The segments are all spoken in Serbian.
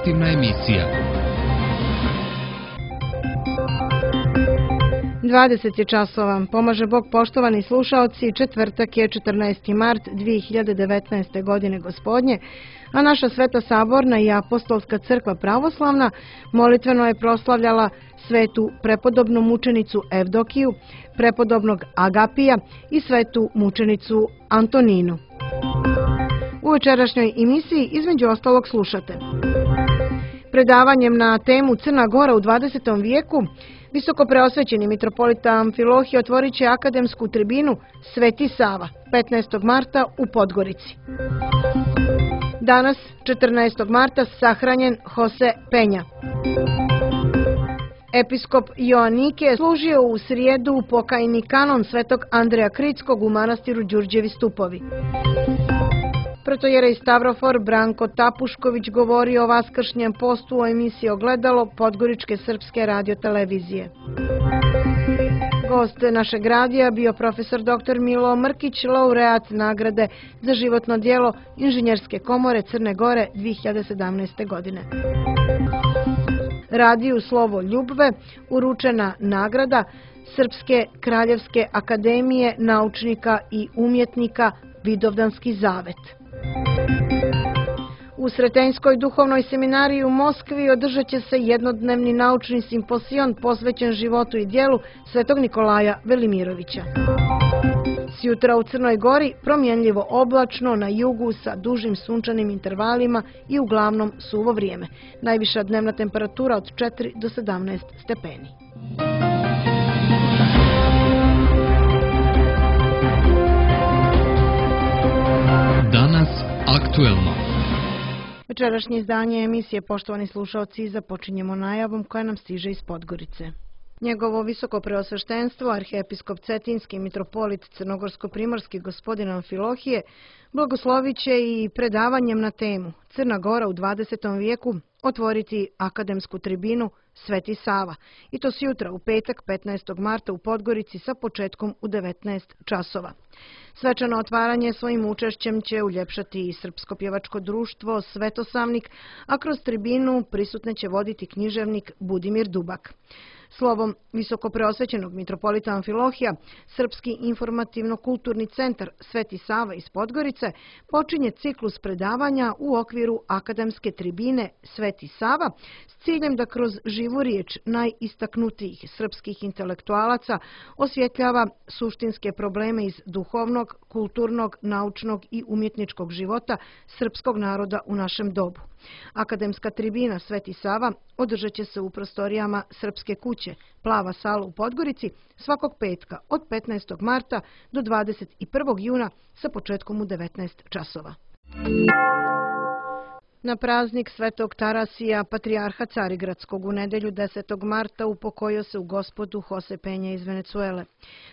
informativna emisija. 20 je časova. Pomaže Bog, poštovani slušaoci, četvrtak je 14. mart 2019. godine gospodnje, a naša Sveta Saborna i Apostolska crkva pravoslavna molitveno je proslavljala svetu prepodobnu mučenicu Evdokiju, prepodobnog Agapija i svetu mučenicu Antoninu. U večerašnjoj emisiji između ostalog slušate. Predavanjem na temu Crna Gora u 20. vijeku visoko preosvećeni mitropolita Amfilohije otvorit će akademsku tribinu Sveti Sava 15. marta u Podgorici. Danas, 14. marta, sahranjen Jose Penja. Episkop Joanike služio u srijedu pokajni kanon svetog Andreja Kritskog u manastiru Đurđevi Stupovi. Protojerej Stavrofor Branko Tapušković govori o vaskršnjem postu u emisiji Ogledalo Podgoričke srpske radiotelevizije. Gost našeg radija bio profesor dr. Milo Mrkić, laureat nagrade za životno djelo Inženjerske komore Crne Gore 2017. godine. Radiju Slovo Ljubve uručena nagrada Srpske kraljevske akademije naučnika i umjetnika Vidovdanski zavet. U Sretenjskoj duhovnoj seminariji u Moskvi održat će se jednodnevni naučni simposion posvećen životu i djelu svetog Nikolaja Velimirovića. Sjutra u Crnoj Gori promjenljivo oblačno, na jugu sa dužim sunčanim intervalima i uglavnom suvo vrijeme. Najviša dnevna temperatura od 4 do 17 stepeni. Danas aktuelno. Večerašnje izdanje emisije, poštovani slušaoci, započinjemo najavom koja nam stiže iz Podgorice. Njegovo visoko preosveštenstvo, arhiepiskop Cetinski mitropolit Crnogorsko-primorski gospodin Amfilohije, blagoslovit će i predavanjem na temu Crna Gora u 20. vijeku otvoriti akademsku tribinu Sveti Sava, i to sjutra u petak 15. marta u Podgorici sa početkom u 19 časova. Svečano otvaranje svojim učešćem će uljepšati i Srpsko pjevačko društvo Svetosavnik, a kroz tribinu prisutne će voditi književnik Budimir Dubak. Slovom visoko preosvećenog mitropolita Amfilohija, Srpski informativno-kulturni centar Sveti Sava iz Podgorice počinje ciklus predavanja u okviru akademske tribine Sveti Sava s ciljem da kroz živu riječ najistaknutijih srpskih intelektualaca osvjetljava suštinske probleme iz duhovnog, kulturnog, naučnog i umjetničkog života srpskog naroda u našem dobu. Akademska tribina Sveti Sava održat će se u prostorijama Srpske kuće, Plava sala u Podgorici, svakog petka od 15. marta do 21. juna sa početkom u 19 časova. Na praznik Svetog Tarasija, patrijarha Carigradskog, u nedelju 10. marta upokojio se u Gospodu Jose Penja iz Venecuele.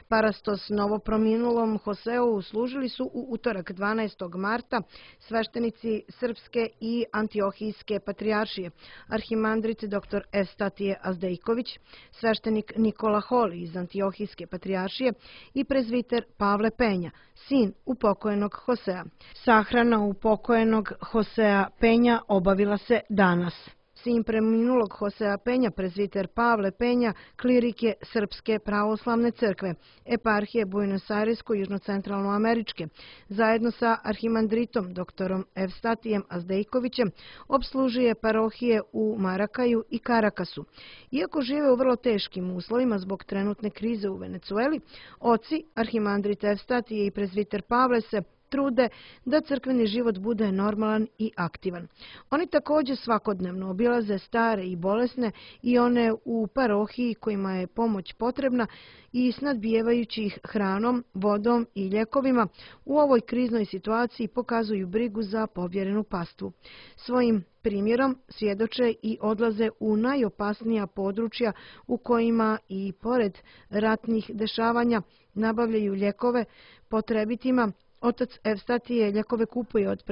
Parastos novoprominulom Joseu služili su u utorak 12. marta sveštenici Srpske i Antiohijske patrijaršije, arhimandrit dr. Evstatije Azdejković, sveštenik Nikola Holi iz Antiohijske patrijaršije i prezviter Pavle Penja, sin upokojenog Josea. Sahrana upokojenog Josea Penja obavila se danas. Sin preminulog Josea Penja, prezviter Pavle Penja, klirik je Srpske pravoslavne crkve, eparhije Buenos Airesko-južnocentralnoameričke, zajedno sa arhimandritom dr. Evstatijem Azdejkovićem, opslužuje parohije u Marakaju i Karakasu. Iako žive u vrlo teškim uslovima zbog trenutne krize u Venecueli, oci, arhimandrit Evstatije i prezviter Pavle se trude da crkveni život bude normalan i aktivan. Oni također svakodnevno obilaze stare i bolesne i one u parohiji kojima je pomoć potrebna i snadbijevajući ih hranom, vodom i ljekovima u ovoj kriznoj situaciji pokazuju brigu za povjerenu pastvu. Svojim primjerom svjedoče i odlaze u najopasnija područja u kojima i pored ratnih dešavanja nabavljaju ljekove potrebitima. Otac Evstatije ljekove kupuje od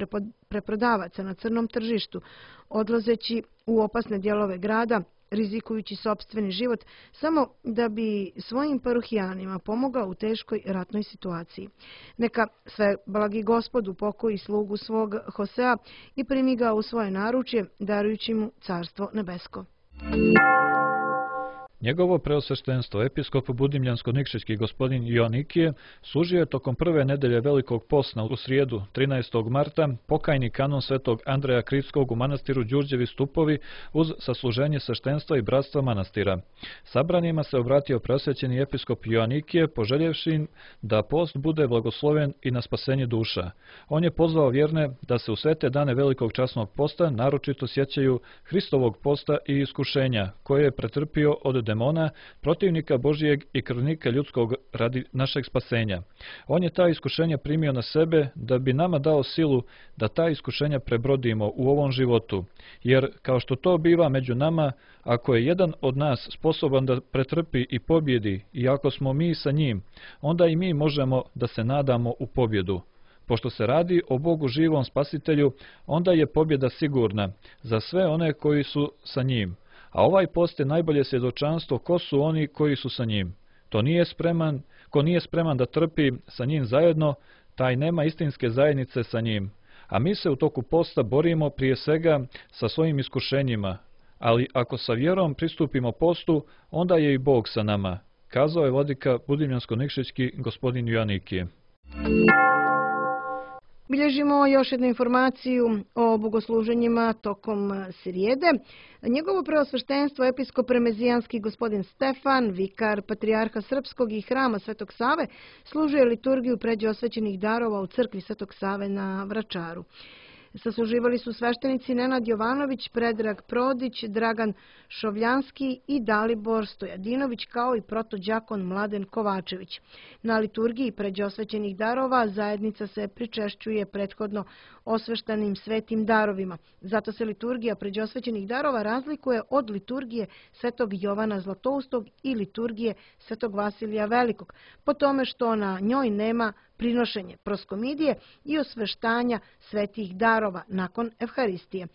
preprodavaca na crnom tržištu. Odlazeći u opasne dijelove grada, rizikujući sopstveni život samo da bi svojim parohijanima pomogao u teškoj ratnoj situaciji. Neka sve blagi Gospod upokoji slugu svog Hosea i primi ga u svoje naručje, darujući mu carstvo nebesko. Njegovo preosveštenstvo, episkop Budimljansko-Nikšićki gospodin Joanikije, služio je tokom prve nedelje Velikog posta u srijedu 13. marta pokajni kanon svetog Andreja Krivskog u manastiru Đurđevi Stupovi uz sasluženje sveštenstva i bratstva manastira. Sabranima se obratio preosvećeni episkop Joanikije, poželjevši im da post bude blagosloven i na spasenje duša. On je pozvao vjerne da se u svete dane Velikog časnog posta naročito sjećaju Hristovog posta i iskušenja koje je pretrpio od demona, protivnika Božijeg i krvnika ljudskog radi našeg spasenja. On je ta iskušenja primio na sebe da bi nama dao silu da ta iskušenja prebrodimo u ovom životu, jer kao što to biva među nama, ako je jedan od nas sposoban da pretrpi i pobjedi i ako smo mi sa njim, onda i mi možemo da se nadamo u pobjedu. Pošto se radi o Bogu živom spasitelju, onda je pobjeda sigurna za sve one koji su sa njim. A ovaj post je najbolje svjedočanstvo ko su oni koji su sa njim. Ko nije spreman da trpi sa njim zajedno, taj nema istinske zajednice sa njim. A mi se u toku posta borimo prije svega sa svojim iskušenjima, ali ako sa vjerom pristupimo postu, onda je i Bog sa nama, kazao je vladika Budimljansko-Nikšićki gospodin Joanikije. Bilježimo još jednu informaciju o bogosluženjima tokom srijede. Njegovo preosveštenstvo episkop remezijanski gospodin Stefan, vikar patrijarha Srpskog i hrama Svetog Save, služuje liturgiju pređe osvećenih darova u crkvi Svetog Save na Vračaru. Sasluživali su sveštenici Nenad Jovanović, Predrag Prodić, Dragan Šovljanski i Dalibor Stojadinović, kao i protođakon Mladen Kovačević. Na liturgiji pređe osvećenih darova zajednica se pričešćuje prethodno osveštanim svetim darovima. Zato se liturgija pređe osvećenih darova razlikuje od liturgije Svetog Jovana Zlatoustog i liturgije Svetog Vasilija Velikog, po tome što na njoj nema prinošenje proskomidije i osveštanja svetih darova nakon Evharistije.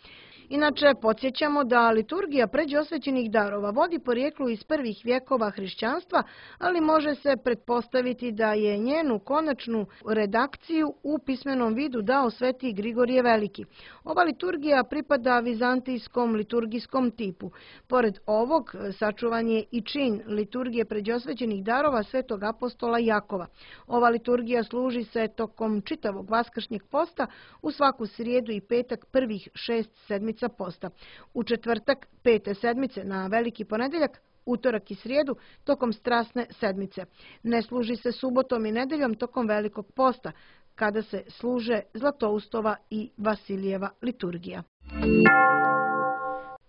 Inače, podsjećamo da liturgija pređe osvećenih darova vodi porijeklu iz prvih vjekova hrišćanstva, ali može se pretpostaviti da je njenu konačnu redakciju u pismenom vidu dao sveti Grigorije Veliki. Ova liturgija pripada vizantijskom liturgijskom tipu. Pored ovog, sačuvan je i čin liturgije pređe osvećenih darova svetog apostola Jakova. Ova liturgija služi se tokom čitavog vaskršnjeg posta u svaku srijedu i petak prvih 6 sedmica posta. U četvrtak 5. sedmice na veliki ponedeljak, utorak i srijedu tokom strasne sedmice. Ne služi se subotom i nedeljom tokom velikog posta, kada se služe Zlatoustova i Vasilijeva liturgija.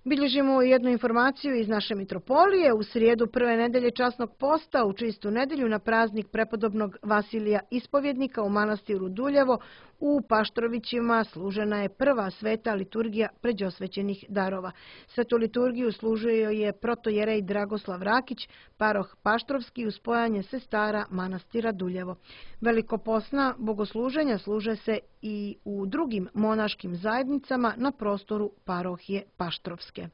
Bilježimo jednu informaciju iz naše mitropolije. U srijedu prve nedelje časnog posta, u čistu nedelju na praznik prepodobnog Vasilija Ispovjednika u manastiru Duljevo, u Paštrovićima služena je prva sveta liturgija pređosvećenih darova. Svetu liturgiju služio je protojerej Dragoslav Rakić, paroh Paštrovski uz spojanje sestara manastira Duljevo. Velikoposna bogosluženja služe se i u drugim monaškim zajednicama na prostoru parohije Paštrovske.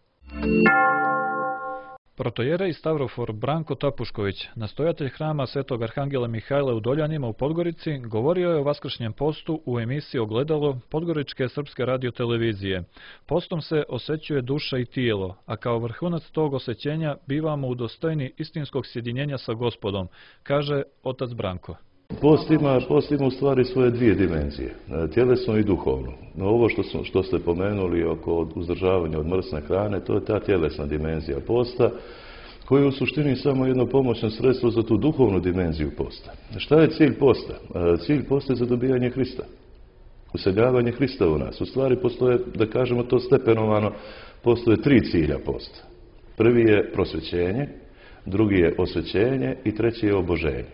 Protojerej Stavrofor Branko Tapušković, nastojatelj hrama Svetog Arhangela Mihajla u Doljanima u Podgorici, govorio je o vaskršnjem postu u emisiji Ogledalo Podgoričke srpske radiotelevizije. Postom se osvećuje duša i tijelo, a kao vrhunac tog osvećenja bivamo udostojni istinskog sjedinjenja sa Gospodom, kaže otac Branko. Post ima u stvari svoje dvije dimenzije, tjelesno i duhovno. No, ovo što ste pomenuli oko uzdržavanja od mrsne hrane, to je ta tjelesna dimenzija posta, koja je u suštini samo jedno pomoćno sredstvo za tu duhovnu dimenziju posta. Šta je cilj posta? Cilj posta je zadobijanje Hrista. Useljavanje Hrista u nas. U stvari postoje, da kažemo to stepenovano, postoje 3 cilja posta. Prvi je prosvećenje, drugi je osvećenje i treći je oboženje.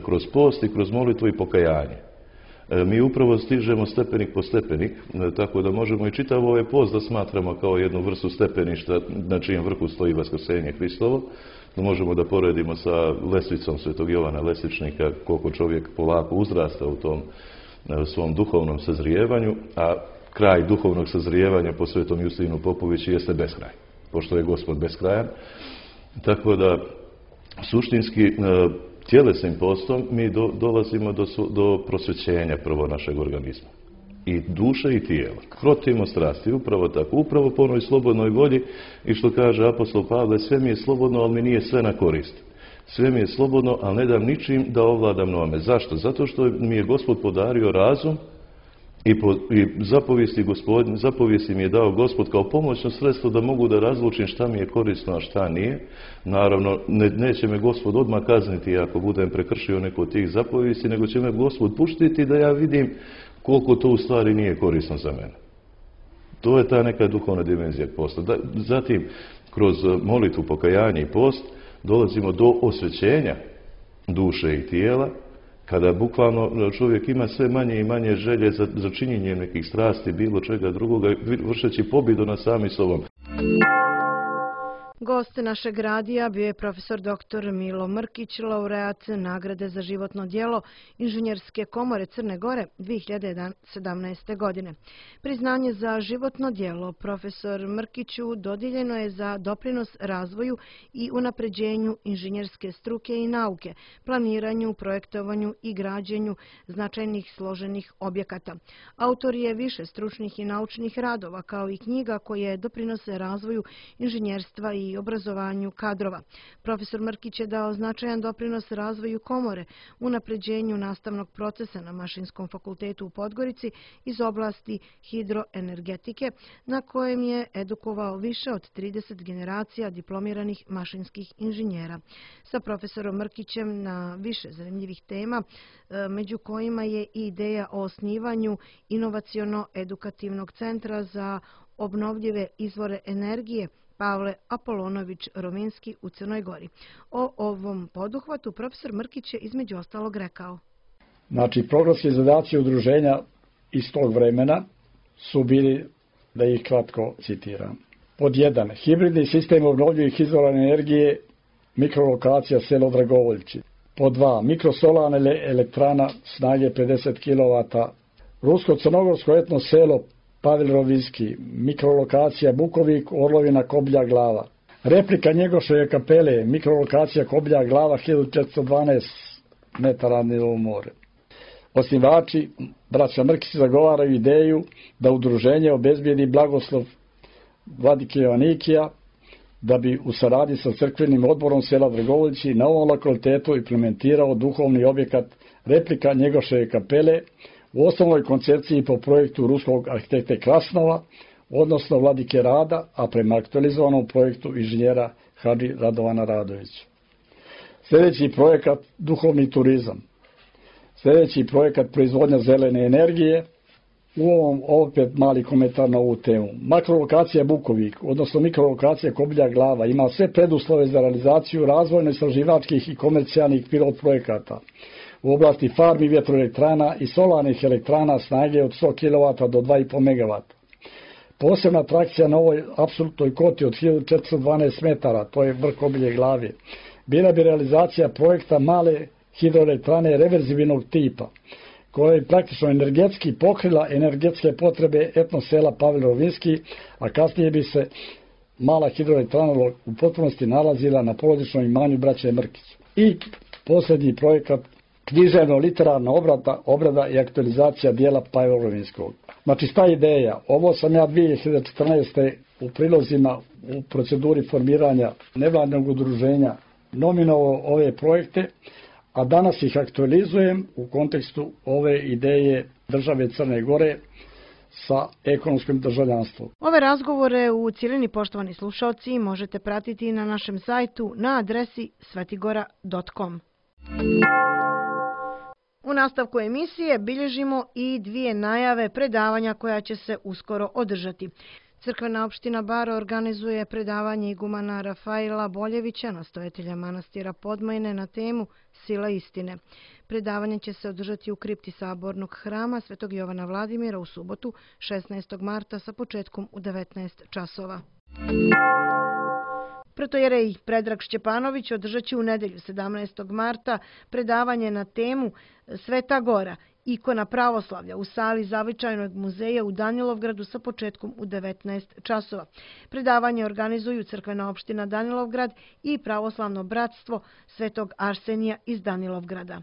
Kroz post i kroz molitvu i pokajanje. Mi upravo stižemo stepenik po stepenik, tako da možemo i čitav ovaj post da smatramo kao jednu vrstu stepeništa na čijem vrhu stoji vaskrsenje Hristovo. Da možemo da poredimo sa lesvicom Svetog Jovana Lesvičnika, koliko čovjek polako uzrasta u tom svom duhovnom sazrijevanju, a kraj duhovnog sazrijevanja po Svetom Justinu Popoviću jeste beskraj. pošto je Gospod beskrajan. Tako da, suštinski, tjelesnim postom mi dolazimo do prosvećenja prvo našeg organizma. I duše i tijela. Krotimo strasti, upravo tako. Upravo po onoj slobodnoj volji i što kaže apostol Pavle, sve mi je slobodno, ali mi nije sve na korist. Sve mi je slobodno, ali ne dam ničim da ovladam nome. Zašto? Zato što mi je Gospod podario razum i zapovijesti mi je dao Gospod kao pomoćno sredstvo da mogu da razlučim šta mi je korisno, a šta nije. Naravno, neće me Gospod odmah kazniti ako budem prekršio neko od tih zapovijesti, nego će me Gospod puštiti da ja vidim koliko to u stvari nije korisno za mene. To je ta neka duhovna dimenzija posta. Zatim, kroz molitvu, pokajanje i post, dolazimo do osvećenja duše i tijela, kada bukvalno čovjek ima sve manje i manje želje za činjenje nekih strasti, bilo čega drugoga, vršeći pobjedu nad sami sobom. Gost našeg radija bio je profesor dr. Milo Mrkić, laureat nagrade za životno djelo Inženjerske komore Crne Gore 2017. godine. Priznanje za životno djelo profesor Mrkiću dodijeljeno je za doprinos razvoju i unapređenju inženjerske struke i nauke, planiranju, projektovanju i građenju značajnih složenih objekata. Autor je više stručnih i naučnih radova, kao i knjiga koje doprinose razvoju inženjerstva i obrazovanju kadrova. Profesor Mrkić je dao značajan doprinos razvoju komore, unapređenju nastavnog procesa na Mašinskom fakultetu u Podgorici iz oblasti hidroenergetike, na kojem je edukovao više od 30 generacija diplomiranih mašinskih inženjera. Sa profesorom Mrkićem na više zanimljivih tema, među kojima je i ideja o osnivanju inovaciono-edukativnog centra za obnovljive izvore energije Pavle Apolonović Rovinski u Crnoj Gori. O ovom poduhvatu profesor Mrkić je između ostalog rekao. Znači, programski zadaci udruženja iz tog vremena su bili, da ih kratko citiram. Pod 1. Hibridni sistem obnovljivih izvora energije, mikrolokacija selo Dragovoljci. Pod 2. Mikrosolarna elektrana snage 50 kW. Rusko-crnogorsko etno selo Pavel Rovinski, mikrolokacija Bukovik, Orlovina, Koblja, Glava. Replika Njegoševe kapele, mikrolokacija Koblja, Glava, 1412 metara nivo more. Osnivači, braća Mrkić, zagovaraju ideju da udruženje obezbijedi blagoslov vladike Joanikija, da bi u saradnji sa crkvenim odborom sela Dragovoljci na ovom lokalitetu implementirao duhovni objekat replika Njegoševe kapele u osnovnoj koncepciji po projektu ruskog arhitekte Krasnova, odnosno vladike Rada, a prema aktualizovanom projektu inženjera Hadži Radovana Radovića. Sljedeći projekat duhovni turizam. Sljedeći projekat proizvodnja zelene energije. U ovom opet mali komentar na ovu temu. Makrolokacija Bukovik, odnosno mikrolokacija Koblja, Glava, ima sve preduslove za realizaciju razvojno-istraživačkih i komercijalnih pilot projekata u oblasti farmi vjetroelektrana i solarnih elektrana snage od 100 kW do 2,5 MW. Posebna atrakcija na ovoj apsolutnoj koti od 1412 metara, to je vrh Koblje Glave, bila bi realizacija projekta male hidroelektrane reverzibilnog tipa, koja je praktično energetski pokrila energetske potrebe etno sela Pavel Rovinski, a kasnije bi se mala hidroelektrana u potpunosti nalazila na porodičnom imanju braće Mrkić. I posljednji projekat, književno-literarna obrada i aktualizacija dijela Pavela Rovinskog. Znači, šta je ideja? Ovo sam ja 2014. u prilozima u proceduri formiranja nevladnog udruženja nominovao ove projekte, a danas ih aktualizujem u kontekstu ove ideje države Crne Gore sa ekonomskim državljanstvom. Ove razgovore u cijelini, poštovani slušalci, možete pratiti na našem sajtu na adresi svetigora.com. U nastavku emisije bilježimo i dvije najave predavanja koja će se uskoro održati. Crkvena opština Bar organizuje predavanje igumana Rafaila Boljevića, nastojatelja manastira Podmajne, na temu Sila istine. Predavanje će se održati u kripti Sabornog hrama Svetog Jovana Vladimira u subotu 16. marta sa početkom u 19 časova. Protojerej Predrag Šćepanović održat će u nedjelju 17. marta predavanje na temu Sveta Gora ikona pravoslavlja u sali Zavičajnog muzeja u Danilovgradu sa početkom u 19 časova. Predavanje organizuju Crkvena opština Danilovgrad i Pravoslavno bratstvo Svetog Arsenija iz Danilovgrada.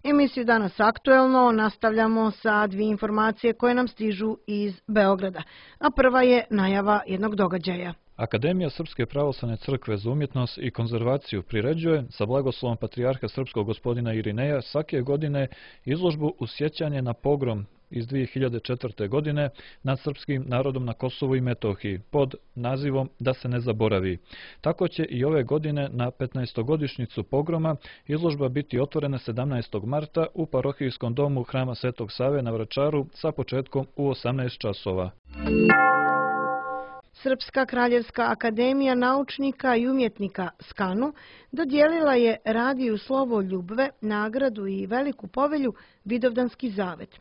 Emisiju Danas aktuelno nastavljamo sa dvije informacije koje nam stižu iz Beograda, a prva je najava jednog događaja. Akademija Srpske pravoslavne crkve za umjetnost i konzervaciju priređuje sa blagoslovom patrijarha srpskog gospodina Irineja svake godine izložbu u sjećanje na pogrom iz 2004. godine nad srpskim narodom na Kosovu i Metohiji pod nazivom Da se ne zaboravi. Tako će i ove godine na 15-godišnjicu pogroma izložba biti otvorena 17. marta u parohijskom domu Hrama Svetog Save na Vračaru sa početkom u 18 časova. Srpska kraljevska akademija naučnika i umjetnika SKANU dodijelila je Radiju Slovo Ljubve nagradu i veliku povelju Vidovdanski zavet.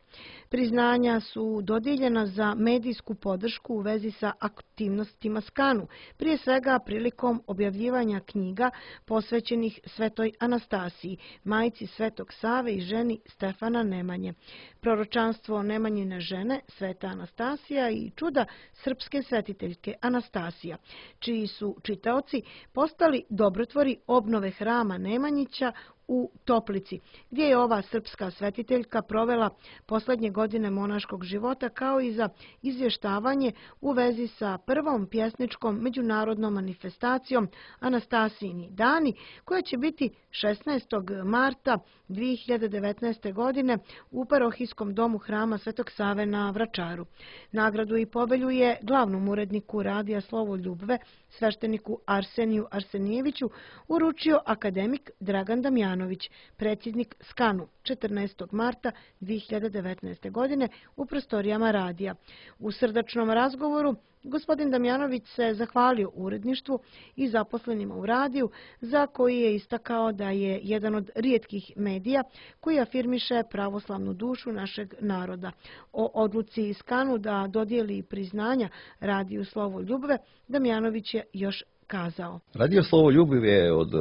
Priznanja su dodijeljena za medijsku podršku u vezi sa aktivnostima SKANU, prije svega prilikom objavljivanja knjiga posvećenih Svetoj Anastasiji, majci Svetog Save i ženi Stefana Nemanje, proročanstvo Nemanjine žene Sveta Anastasija i čuda srpske svetiteljke Anastasija, čiji su čitaoci postali dobrotvori obnove hrama Nemanjića u Toplici, gdje je ova srpska svetiteljka provela posljednje godine monaškog života, kao i za izvještavanje u vezi sa prvom pjesničkom međunarodnom manifestacijom Anastasijini dani, koja će biti 16. marta 2019. godine u parohijskom domu Hrama Svetog Save na Vračaru. Nagradu i povelju je glavnom uredniku Radija Slovo Ljubve, svešteniku Arseniju Arsenijeviću, uručio akademik Dragan Damjanović, predsjednik SKANU, 14. marta 2019. godine u prostorijama radija. U srdačnom razgovoru gospodin Damjanović se zahvalio uredništvu i zaposlenima u radiju, za koji je istakao da je jedan od rijetkih medija koji afirmiše pravoslavnu dušu našeg naroda. O odluci SKANU da dodijeli priznanja Radiju Slovo Ljubve, Damjanović je još kazao. Radio Slovo Ljubve je od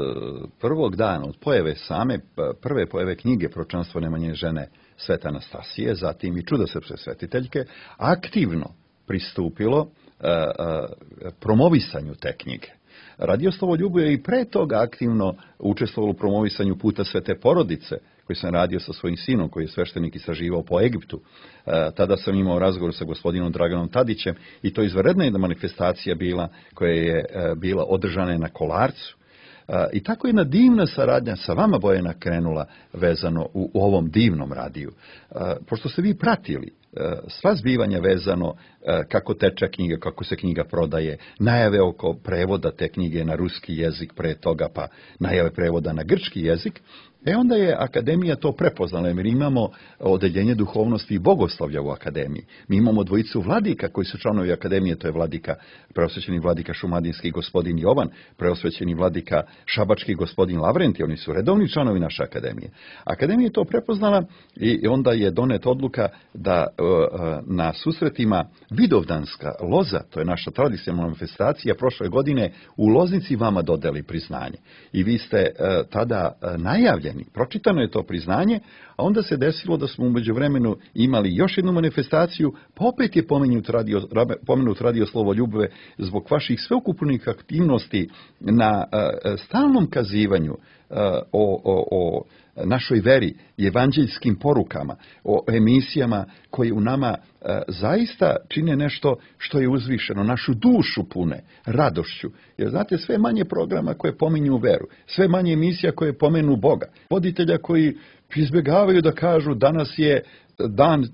prvog dana, od prve pojave knjige Proročanstvo Nemanjine žene Svete Anastasije, zatim i čudo srpske svetiteljke, aktivno pristupilo promovisanju te knjige. Radio Slovo Ljubve je i pre toga aktivno učestvovalo u promovisanju puta Svete porodice, koji sam radio sa svojim sinom, koji je sveštenik istraživao po Egiptu. Tada sam imao razgovor sa gospodinom Draganom Tadićem i to izvanredna jedna manifestacija bila, koja je bila održana na Kolarcu. I tako je jedna divna saradnja sa vama, Bojana, krenula vezano u ovom divnom radiju. Pošto ste vi pratili sva zbivanja vezano kako teče knjiga, kako se knjiga prodaje, najave oko prevoda te knjige na ruski jezik pre toga, pa najave prevoda na grčki jezik, onda je Akademija to prepoznala, jer imamo odeljenje duhovnosti i bogoslovlja u Akademiji. Mi imamo dvojicu vladika koji su članovi Akademije, to je preosvećeni vladika šumadinski gospodin Jovan, preosvećeni vladika šabački gospodin Lavrenti, oni su redovni članovi naše Akademije. Akademija je to prepoznala i onda je donet odluka da na susretima Vidovdanska loza, to je naša tradicionalna manifestacija, prošle godine u Loznici vama dodeli priznanje. I vi ste tada najavljeni, pročitano je to priznanje, a onda se desilo da smo u međuvremenu imali još jednu manifestaciju, pa opet je pomenut Radio Slovo Ljubve zbog vaših sveukupnih aktivnosti na stalnom kazivanju o našoj veri i evanđeljskim porukama, o emisijama koje u nama zaista čine nešto što je uzvišeno, našu dušu pune radošću. Jer znate, sve manje programa koje pominju veru, sve manje emisija koje pomenu Boga, voditelja koji izbjegavaju da kažu danas je dan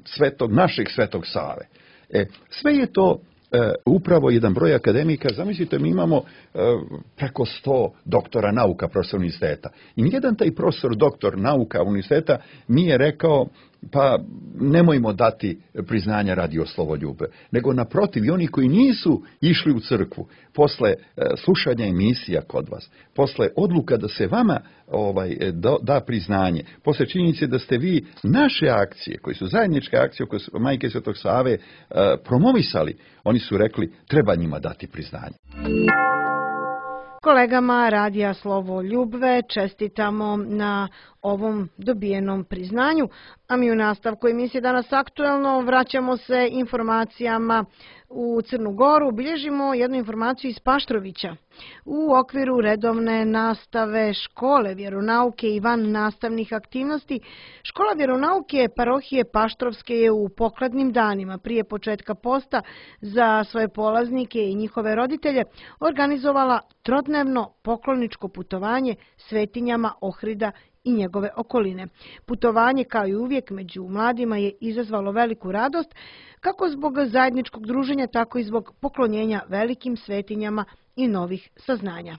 našeg Svetog Save. Sve je to upravo jedan broj akademika. Zamislite, mi imamo preko 100 doktora nauka profesora univerziteta. I nijedan taj profesor doktor nauka univerziteta nije rekao pa nemojmo dati priznanja Radio Slovo Ljubve. Nego naprotiv, i oni koji nisu išli u crkvu, posle slušanja emisija kod vas, posle odluka da se vama da priznanje, posle činjenice da ste vi naše akcije, koje su zajedničke akcije koje su Majke Svetog Save promovisali, oni su rekli treba njima dati priznanje. Kolegama Radija Slovo Ljubve čestitamo na ovom dobijenom priznanju, a mi u nastavku emisije Danas aktuelno vraćamo se informacijama u Crnu Goru. Bilježimo jednu informaciju iz Paštrovića. U okviru redovne nastave škole vjeronauke i van nastavnih aktivnosti, škola vjeronauke parohije Paštrovske je u pokladnim danima prije početka posta za svoje polaznike i njihove roditelje organizovala trodnevno pokloničko putovanje svetinjama Ohrida i njegove okoline. Putovanje, kao i uvijek, među mladima je izazvalo veliku radost, kako zbog zajedničkog druženja, tako i zbog poklonjenja velikim svetinjama i novih saznanja.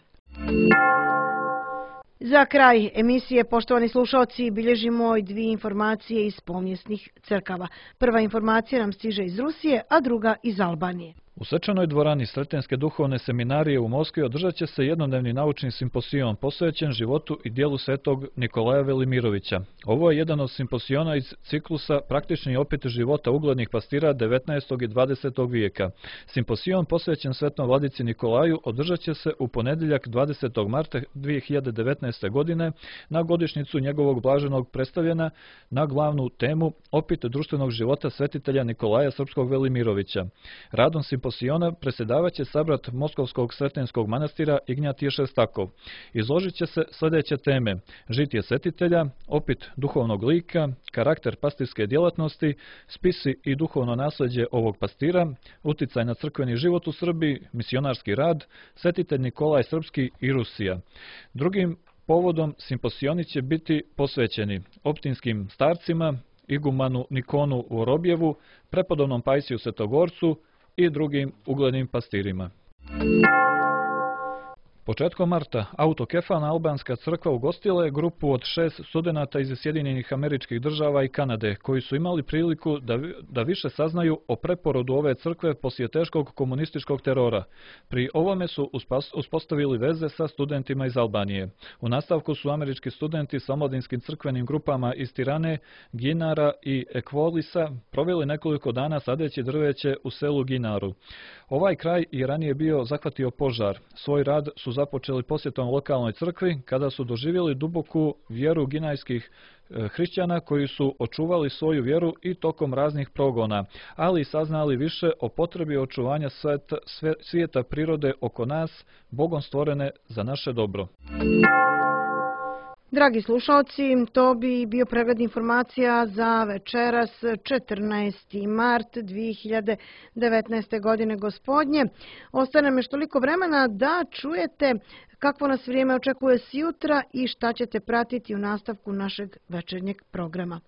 Za kraj emisije, poštovani slušalci, bilježimo i dvije informacije iz pomjesnih crkava. Prva informacija nam stiže iz Rusije, a druga iz Albanije. U svečanoj dvorani Sretenske duhovne seminarije u Moskvi održat će se jednodnevni naučni simpozion posvećen životu i dijelu svetog Nikolaja Velimirovića. Ovo je jedan od simpoziona iz ciklusa Praktični opet života uglednih pastira 19. i 20. vijeka. Simpozion posvećen svetom vladici Nikolaju održat će se u ponedjeljak 20. marta 2019. godine na godišnjicu njegovog blaženog predstavljena na glavnu temu opet društvenog života svetitelja Nikolaja Srpskog Velimirovića. Radom simpoziona predsjedavaće sabrat Moskovskog Sretenskog manastira Ignjatije Šestakov. Izložit će se sljedeće teme: žitije svetitelja, opit duhovnog lika, karakter pastirske djelatnosti, spisi i duhovno nasljeđe ovog pastira, uticaj na crkveni život u Srbiji, misionarski rad, svetitelj Nikolaj Srpski i Rusija. Drugim povodom simpozioni će biti posvećeni optinskim starcima, igumanu Nikonu u Orobjevu, prepodobnom Pajsiju Svetogorcu i drugim uglednim pastirima. Početkom marta Autokefalna albanska crkva ugostila je grupu od 6 studenata iz Sjedinjenih Američkih Država i Kanade, koji su imali priliku da više saznaju o preporodu ove crkve poslije teškog komunističkog terora. Pri ovome su uspostavili veze sa studentima iz Albanije. U nastavku su američki studenti sa omladinskim crkvenim grupama iz Tirane, Ginara i Ekvolisa proveli nekoliko dana sadeći drveće u selu Ginaru. Ovaj kraj je ranije bio zahvatio požar. Svoj rad su započeli posjetom lokalnoj crkvi kada su doživjeli duboku vjeru ginajskih hrišćana koji su očuvali svoju vjeru i tokom raznih progona, ali i saznali više o potrebi očuvanja svijeta prirode oko nas, Bogom stvorene za naše dobro. Dragi slušalci, to bi bio pregled informacija za večeras 14. mart 2019. godine gospodnje. Ostane me toliko vremena da čujete kakvo nas vrijeme očekuje sjutra i šta ćete pratiti u nastavku našeg večernjeg programa.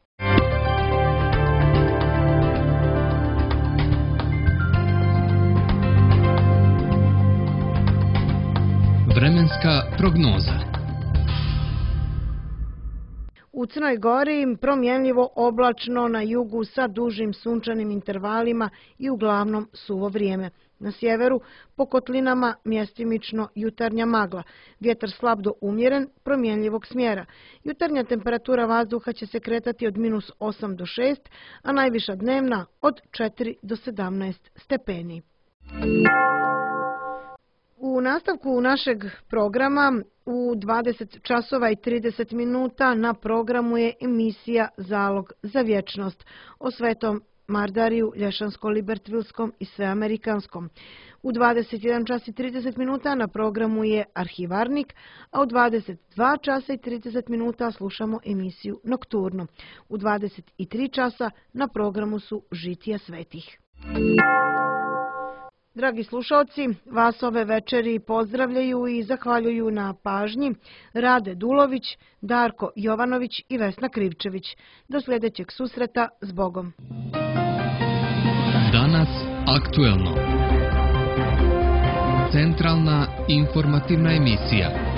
Vremenska prognoza. U Crnoj Gori promjenljivo oblačno, na jugu sa dužim sunčanim intervalima i uglavnom suvo vrijeme. Na sjeveru po kotlinama mjestimično jutarnja magla. Vjetar slab do umjeren, promjenljivog smjera. Jutarnja temperatura vazduha će se kretati od -8 do 6, a najviša dnevna od 4 do 17 stepeni. U nastavku našeg programa u 20 časova i 30 minuta na programu je emisija Zalog za vječnost o svetom Mardariju, Lješansko-Libertvilskom i Sveamerikanskom. U 21 čas i 30 minuta na programu je Arhivarnik, a u 22 časa i 30 minuta slušamo emisiju Nokturno. U 23 časa na programu su Žitija svetih. Dragi slušalci, vas ove večeri pozdravljaju i zahvaljuju na pažnji Rade Dulović, Darko Jovanović i Vesna Krivčević. Do sljedećeg susreta, s Bogom. Danas aktuelno. Centralna informativna emisija.